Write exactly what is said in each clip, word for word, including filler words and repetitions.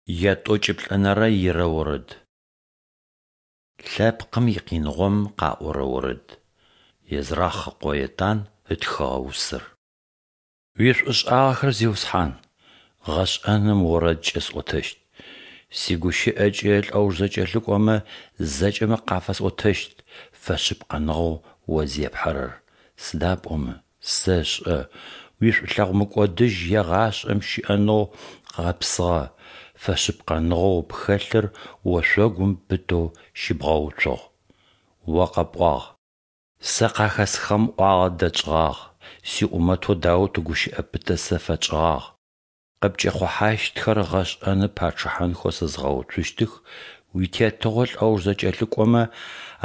Ятӏокӏиплӏэнэрэ ирэ орэд. Лъэпкъым икъиныгъом къаӏорэ орэд. Езрах ыкъо Етан ытхыгъэ усэр. Уишӏушӏагъэхэр, Зиусхьан, гъэшӏэным орэдкӏэ сӏотэщт, сигущыӏэкӏэ лӏэуж зэкӏэлъыкӏомэ зэкӏэмэ къафэсӏотэщт фэшъыпкъэныгъэу О зепхьэрэр, сыда пӏомэ, сэшӏэ, уишӏулъэгъу мыкӏодыжь егъашӏэм щыӏэнэу гъэпсыгъэ, фэшъыпкъэныгъэу пхэлъыр ошъогум пытэу щыбгъэуцугъ. О къэпӏуагъ: Сэ къахэсхыгъэм ӏуагъэ дэтшӏыгъагъ, сиӏумэтэу Даут гущыӏэ пытэ сэ фэтшӏыгъагъ: Къыпкӏэхъухьащтхэр гъэшӏэным пачъыхьэнхэу сэ згъэуцущтых, уитетыгъо лӏэуж зэкӏэлъыкӏомэ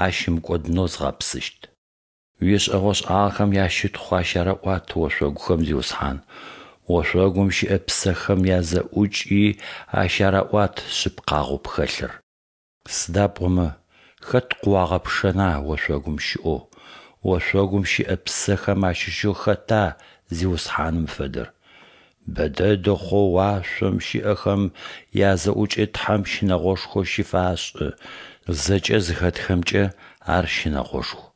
ащымыкӏодынэу згъэпсыщт. Уишӏэгъошӏагъэхэм ящытхъу ащарэӏуат ошъогухэм, Зиусхьан, ошъогум щыӏэ псэхэм язэӏукӏи ащарэӏуат шъыпкъагъэу пхэлъыр. Сыда пӏомэ, хэт къыуагъэпшэна ошъогум щыӏэу, ошъогум щыӏэ псэхэм ащыщэу хэта Зиусхьаным фэдэр? Бэ дэдэ хъоу уашъом щыӏэхэм язэӏукӏэ Тхьэм щынэгъошхо щыфашӏы, зэкӏэ зыхэтхэмкӏэ Ар щынэгъошху.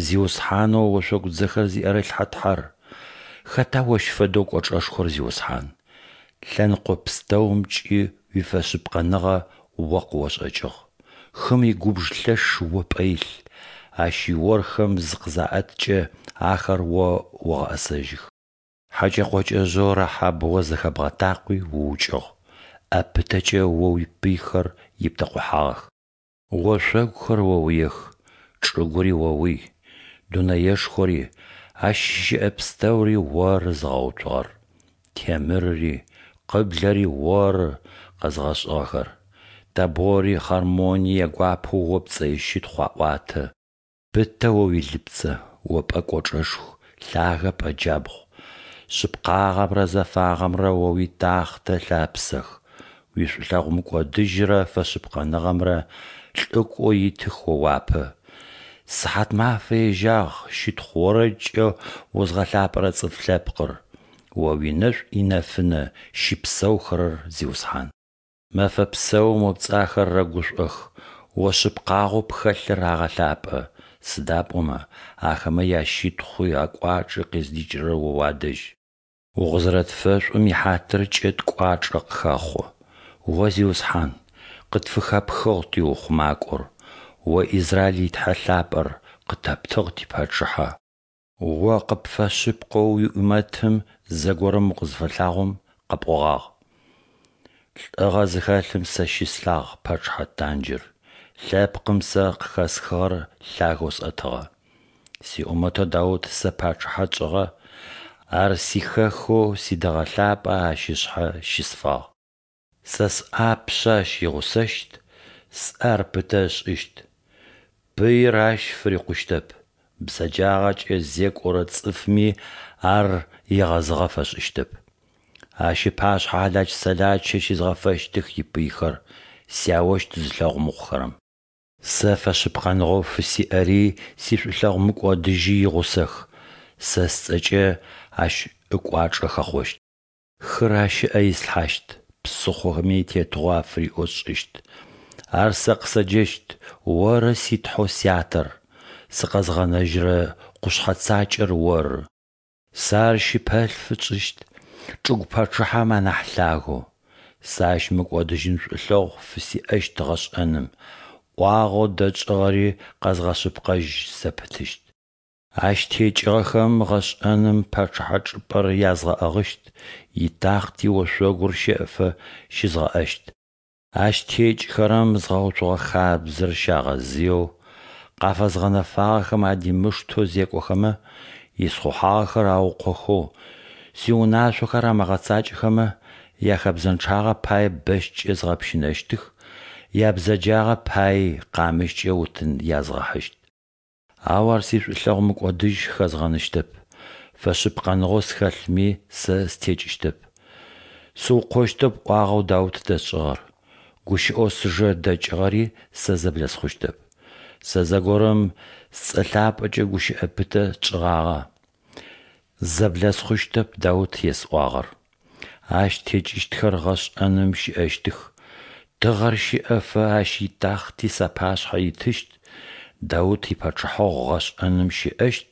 Зиусхьанэу ошъогудзэхэр зиӏэрылъхьэ Тхьэр! Хэта Ощ фэдэу кӏочӏэшхор, Зиусхьан? Лъэныкъо пстэумкӏи уифэшъыпкъэныгъэ О къыошӏэкӏыгъ. Хым игубж лъэш О пӏэ илъ, ащ иорхэм зыкъызаӏэткӏэ, ахэр О огъэӏэсэжьых. Хьэкӏэ-къокӏэжъэу Рахаб О зэхэбгъэтакъуи уукӏыгъ, ӏэ пытэкӏэ О уипыйхэр иптэкъухьагъэх. Ошъогухэр оуиех, чӏыгури оуий, дунэешхори, ащ щыӏэ пстэури Оры зыгъэуцугъэр. Темырыри къыблэри Оры къэзыгъэшӏыгъэхэр. Табори Хъэрмони ягуапэу О пцӏэ ищытхъу аӏуатэ. Пытэ О уилыпцэ, О пӏэ кӏочӏэшху, лъагэ пӏэ джабгъу. Шъыпкъагъэмрэ зэфагъэмрэ О уитахътэ ылъапсэх, уишӏулъэгъу мыкӏодыжьрэ фэшъыпкъэныгъэмрэ лӏыкӏоу итых О уапэ. Сыхьатмафэ ежьагъ щытхъу орэдкӏэ узгъэлъапӏэрэ цӏыф лъэпкъыр, О уинэшӏу инэфынэ щыпсэухэрэр, Зиусхьан. Мэфэ псэум О пцӏэ ахэр рэгушӏох, О шъыпкъагъэу пхэлъыр агъэлъапӏэ, сыда пӏомэ ахэмэ ящытхъуи акӏуачӏи къыздикӏырэр О уадэжь. Укъызэрэтфэшӏум ихьатыркӏэ ткӏуачӏэ къыхэхъо. О, Зиусхьан, къытфыхэпхыгъ тиухъумакӏор, О Израиль и Тхьэ Лъапӏэр, къытэптыгъ типачъыхьэ. О къыпфэшъыпкъэу уиӏумэтым зэгорэм укъызыфэлъагъом къэпӏогъагъ: Лӏыгъэ зыхэлъым сэ щыслъагъ пачъыхьэ танджыр, лъэпкъым сэ къыхэсхыгъэр лъагэу сӏэтыгъэ. Сиӏумэтэу Даут сэ пачъыхьэ тшӏыгъэ, ар сихэхэу сидэгъэ лъапӏэ ащ ышъхьэ щысфагъ. Сэ сӏапшъэ ащ игъусэщт, сӏэ ар пытэ ышӏыщт. Пыир ащ фырикъущтэп, бзэджагъэкӏэ зекӏорэ цӏыфми ар егъэзыгъэ фэшӏыщтэп. Ащ ыпашъхьэ хьалач-сэлачэ щизгъэфэщтых ипыйхэр, сяощт зылъэгъу мыхъухэрэм. Сэ фэшъыпкъэныгъэу фысиӏэри сишӏулъэгъу мыкӏодыжьи игъусэх, сэ сцӏэкӏэ ащ ыкӏуачӏэ хэхъощт. Хыр ащ ыӏэ ислъхьащт, псыхъохэми тетыгъо афыриӏэу сшӏыщт. Ар сэ къысэджэщт: Оры си Тхьэу Сятэр, сыкъэзгъэнэжьырэ къушъхьэ цакӏэр Оры. Сэ ар щыпэлъфы тшӏыщт, чӏыгу пачъыхьэм анахь лъагэу. Сэ ащ мыкӏодыжьын шӏулъэгъу фысиӏэщт гъэшӏэным, ӏуагъэу дэтшӏыгъэри къэзгъэшъыпкъэжь зэпытыщт. Ащ текӏыгъэхэм гъэшӏэным пачъыхьэ чӏыпӏэр язгъэӏыгъыщт, итахъти ошъогур щэӏэфэ щызгъэӏэщт. Ащ текӏыхэрэм згъэуцугъэ хабзэр щагъэзыеу, къафэзгъэнэфагъэхэм адимыштэу зекӏохэмэ, исхъухьагъэхэр аукъохэу, сиунашъохэр амыгъэцакӏэхэмэ, яхэбзэнчъагъэ пае бэщкӏэ згъэпщынэщтых, ябзэджагъэ паий къамыщкӏэ утын язгъэхьыщт. Ау ар сишӏулъэгъу мыкӏодыжь хэзгъэныщтэп, фэшъыпкъэныгъэу схэлъми сэ сытекӏыщтэп. Сыукъощтэп ӏуагъэу Даут дэсшӏыгъэр, гущыӏэу сыжэ дэкӏыгъэри сэ зэблэсхъущтэп. Сэ зэгорэм сцӏэ лъапӏэкӏэ гущыӏэ пытэ тшӏыгъагъэ: Зэблэсхъущтэп Даут есӏуагъэр. Ащ текӏыщтхэр гъэшӏэным щыӏэщтых. Тыгъэр щэӏэфэ ащ итахъти сапашъхьэ итыщт, Даут ипачъыхьэгъу гъэшӏэным щыӏэщт,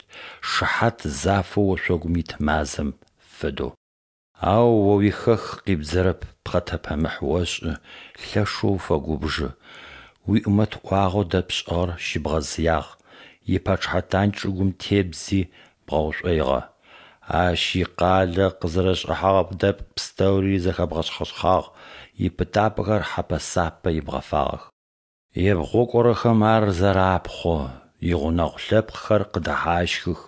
шыхьат зафэу ошъогум ит мазэм фэдэу. Ау О уихэку къибдзэрэп, пхъэтэпэмыхь ошӏы, лъэшэу уфэгубжы. Уиӏумэт ӏуагъэу дэпшӏыгъэр щыбгъэзыягъ, ипачъыхьэ тандж чӏыгум тебдзи, бгъэушӏоигъэ. Ащ икъалэ къызэрэшӏыхьэгъэ дэпкъ пстэури зэхэбгъэшъхъэшъхьагъ, ипытапӏэхэр хьэпэ-сапэ ибгъэфагъэх. Ебгъукӏохэрэм ар зэрапхъо, игъунэгъу лъэпкъхэр къыдэхьащхых.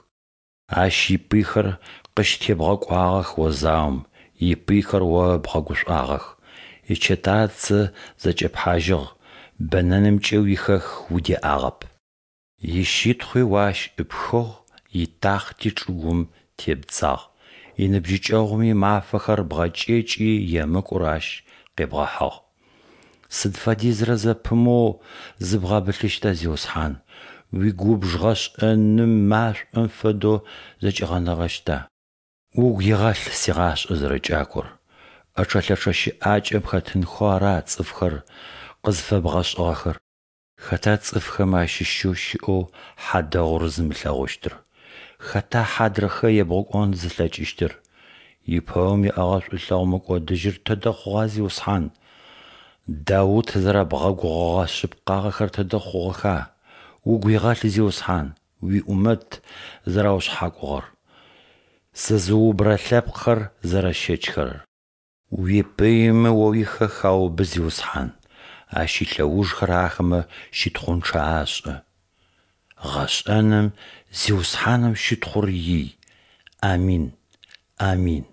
Ащ ипыйхэр къыщытебгъэкӏуагъэх О заом, ипыйхэр О бгъэгушӏуагъэх. Ичэтацэ зэкӏэпхьажьыгъ, бэнэнымкӏэ уихэку удеӏагъэп. Ищытхъуи О ащ ӏыпхыгъ, итахъти чӏыгум тебдзагъ. Иныбжьыкӏэгъум имафэхэр бгъэкӏэкӏи, емыкӏур ащ къебгъэхьыгъ. Сыд фэдизрэ зэпымыоу зыбгъэбылъыщта, Зиусхьан? Уигубж гъэшӏэным машӏом фэдэу зэкӏигъэнэгъэщта? Угу игъэлъ сигъашӏэ зэрэкӏакор. ӏэчъэ-лъэчъэ щыӏакӏэм хэтынхэу ара цӏыфхэр къызфэбгъэшӏыгъэхэр? Хэта цӏыфхэм ащыщэу щыӏэу хьадэгъур зымылъэгъущтыр? Хэта хьадрыхэ ебгъукӏон зылъэкӏыщтыр? Ипэум иӏэгъэ шӏулъэгъу мыкӏодыжьыр тыдэ хъугъа, Зиусхьан? Даут зэрэбгъэгугъэгъэ шъыпкъагъэхэр тыдэ хъугъэха? Угу игъэлъ, Зиусхьан, уиӏумэт зэраушъхьакӏугъэр, сызыубырэ лъэпкъхэр зэрэщэчхэрэр. Уипыймэ О уихэку аубы, Зиусхьан, ащ илъэужхэр ахэмэ щытхъунчъэ ашӏы. Гъэшӏэным Зиусхьаным щытхъур ий! Амин! Амин!